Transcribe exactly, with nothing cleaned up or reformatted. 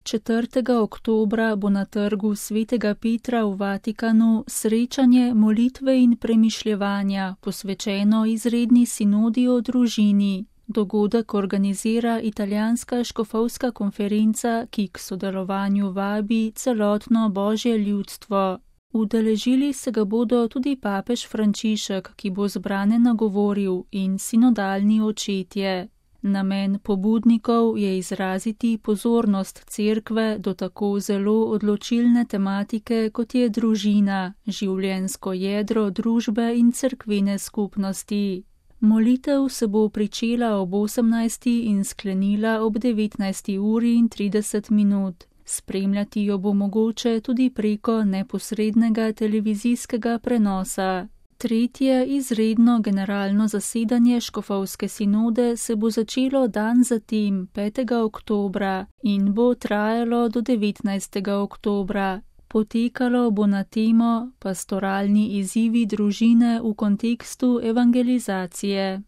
četrtega oktobra bo na trgu svetega Petra v Vatikanu srečanje molitve in premišljevanja, posvečeno izredni sinodi o družini. Dogodek organizira italijanska škofovska konferenca, ki k sodelovanju vabi celotno božje ljudstvo. Udeležili se ga bodo tudi papež Frančišek, ki bo zbrane nagovoril, in sinodalni očetje. Namen pobudnikov je izraziti pozornost cerkve do tako zelo odločilne tematike, kot je družina, življenjsko jedro družbe in cerkvene skupnosti. Molitev se bo pričela ob osemnajsti in sklenila ob devetnajsti uri in trideset minut. Spremljati jo bo mogoče tudi preko neposrednega televizijskega prenosa. Tretje izredno generalno zasedanje škofovske sinode se bo začelo dan zatem, petega oktobra, in bo trajalo do devetnajstega oktobra. Potekalo bo na temo Pastoralni izzivi družine v kontekstu evangelizacije.